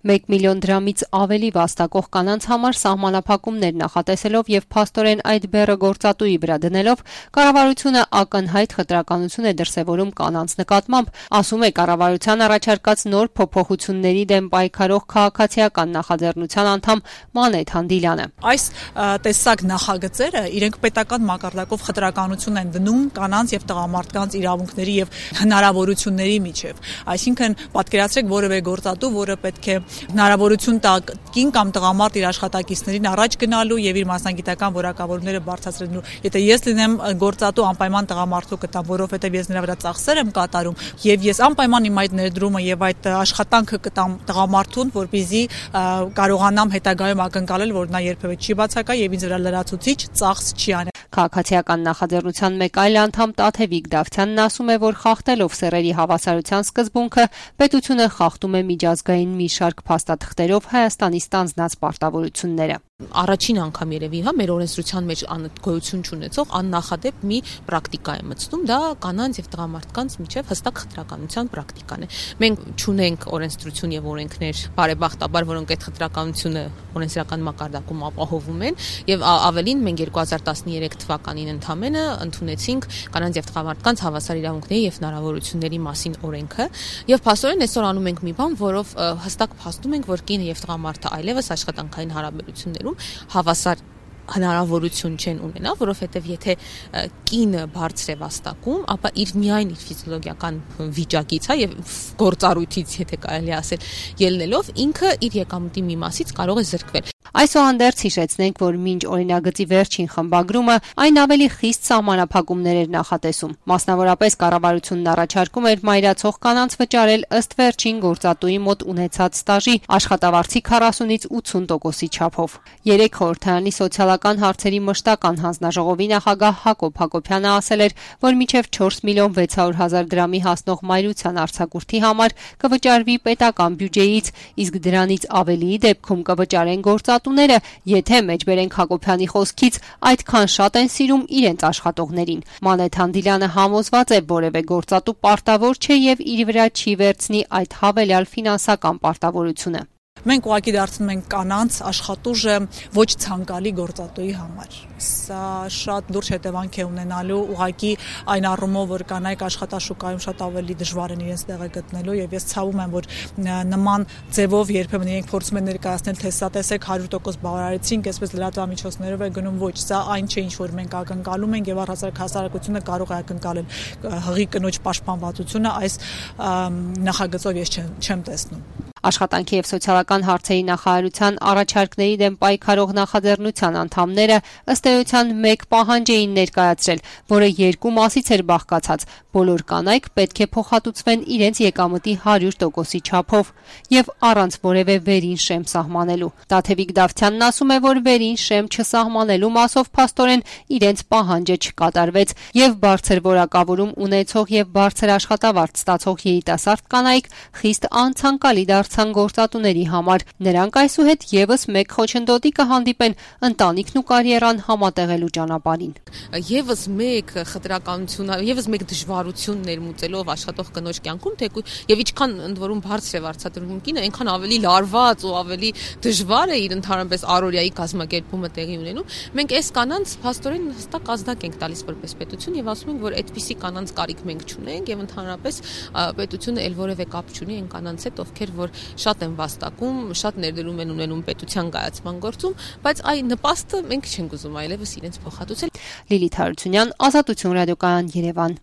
1 միլիոն դրամից ավելի վաստակող կանանց համար սահմանափակումներ նախատեսելով եւ փաստորեն այդ բեռը գործատուի վրա դնելով կառավարությունը ակնհայտ խտրականություն է դրսեւորում կանանց նկատմամբ, ասում է կառավարության առաջարկած նոր փոփոխությունների դեմ պայքարող քաղաքացիական նախաձեռնության անդամ Մանեթ Հանդիլյանը։ Այս տեսակ նախագծերը իրենք պետական մակարդակով խտրականություն են դնում կանանց եւ տղամարդկանց իրավունքների եւ հնարավորությունների միջեւ։ Այսինքն պատկերացրեք որևէ գործատու, որը պետք է հնարավորություն տա կին կամ տղամարդ իր աշխատակիցներին առաջ գնալու եւ իր մասնագիտական որակավորումները բարձրացնելու։ Եթե ես լինեմ գործատու, անպայման տղամարդու կտամ, որովհետեւ ես նրա վրա ծախսեր եմ կատարում եւ ես անպայման իմ այդ ներդրումը եւ այդ աշխատանքը կտամ տղամարդուն, որպեսզի կարողանամ հետագայում ակնկալել, որ նա երբեւե չի բացակա եւ ինձ վրա լրացուցիչ ծախս չի անի։ Քաղաքացիական նախաձեռնության մեկ այլ անդամ Տաթևիկ Դավթյանն ասում է, որ խախտելով սեռերի հավասարության սկզբունքը, պետությունը խախտում է միջազգային մի շարք փաստաթղթերով Հայաստանի ստանձնած պարտավորությունները։ Առաջին անգամ երևի, մեր օրենսդրության մեջ գոյություն չունեցող աննախադեպ մի պրակտիկա է մտցնում, դա կանանց եւ տղամարդկանց միջև հստակ խտրականության պրակտիկան է։ Մենք չունենք օրենսդրություն եւ օրենքներ, բարեբախտաբար, որոնք այդ խտրականությունը օրենսդրական մակարդակում ապահովում են, եւ ավելին մենք 2013 թվականին ընդամենը ընդունեցինք կանանց եւ տղամարդկանց հավասար իրավունքների եւ հնարավորությունների մասին օրենքը, եւ փաստորեն այսօր անում ենք մի բան, որով հստակ փաստում ենք, որ կինը եւ տղամարդը այլևս աշխատանքային հարաբերություններում հավասար հնարավորություն չեն ունենա, որովհետև եթե կինը բարձր է վաստակում, ապա միայն իր ֆիզիոլոգիական վիճակից, եւ գործառույթից, եթե կարելի ասել, ելնելով ինքը իր եկամուտի մի մասից կարող է զրկվել։ Այսուհանդերձ հիշեցնենք, որ մինչ օրինագծի վերջին խմբագրումը այն ավելի խիստ սահմանափակումներ էր նախատեսում։ Մասնավորապես կառավարությունն առաջարկում էր մայրացող կանանց վճարել ըստ վերջին գործատուի մոտ ունեցած ստաժի աշխատավարձի 40-ից 80%-ի չափով։ Երեք խորհրդարանի սոցիալական հարցերի մշտական հանձնաժողովի նախագահ Հակոբ Հակոբյանը ասել էր, որ մինչև 4 միլիոն 600 հազար դրամի հասնող մայրության արձակուրդի համար կվճարվի պետական բյուջեից, իսկ դրանից ավելիի դեպքում կվճարեն գործատուները, եթե մեջբերենք Հակոբյանի խոսքից այդքան շատ են սիրում իրենց աշխատողներին։ Մանեթ Հանդիլյանը համոզված է, որևէ գործատու պարտավոր չէ եւ իր վրա չի վերցնի այդ հավելյալ ֆինանսական պարտավորությունը։ Մենք ուղղակի դարձնում ենք կանանց աշխատուժը ոչ ցանկալի գործատուի համար։ Սա շատ լուրջ հետևանք է ունենալու ուղղակի այն առումով, որ կանայք աշխատաշուկայում շատ ավելի դժվար են իրենց տեղը գտնելու եւ ես ցավում եմ, որ նման ձևով երբեմն իրենք փորձում են ներկայացնել, թե սա տեսեք 100% բավարարեցինք, այսպես լրատվամիջոցներով է գնում, ոչ, սա այն չէ, ինչ որ մենք ակնկալում ենք եւ առհասարակ հասարակությունը կարող է ակնկալել հղի կնոջ պաշտպանվածությունը այս նախագծով ես չեմ տեսնում։ Աշխատանքի եւ սոցիալական հարցերի նախարարության առաջարկների դեմ պայքարող նախաձեռնության անդամները ըստ էության մեկ պահանջ էին ներկայացրել, որը երկու մասից էր բաղկացած։ Բոլոր կանայք պետք է փոխհատուցվեն իրենց եկամտի 100%-ի չափով եւ առանց որևէ վերին շեմ սահմանելու։ Տաթևիկ Դավթյանն ասում է, որ վերին շեմ չսահմանելու մասով փաստորեն իրենց պահանջը չկատարվեց եւ բարձր որակավորում ունեցող եւ բարձր աշխատավարձ ստացող երիտասարդ կանայք խիստ անցանկալի դարձան գործատուների համար։ Նրանք այսուհետ եւս մեկ խոչընդոտի կհանդիպեն ընտանիքն ու կարիերան համատեղելու ճանապարհին։ Եվս մեկ խտրականություն, եւս մեկ դժվարություն ներմուծելով աշխատող կնոջ կյանքում, եւ ինչքան ընդ որում բարձր է վարձատրվում կինը, այնքան ավելի լարված ու ավելի դժվար է իր ընդհանրապես առօրյայի կազմակերպումը տեղի ունենում։ Մենք այս կանանց փաստորեն հստակ ազդակ ենք տալիս որպես պետություն եւ ասում ենք, որ այդպիսի կանանց կարիք մենք չունենք եւ ընդհանրապես պետությունը ել որևէ կապ չունի այն կանանց հետ, ովքեր որ շատ են վաստակում, շատ ներդրում են ունենում պետության կայացման գործում, բայց այն նպաստը մենք չենք ուզում այլևս իրենց փոխհատուցել։ Լիլիթ Հարությունյան, Ազատություն ռադիոկայան, Երևան։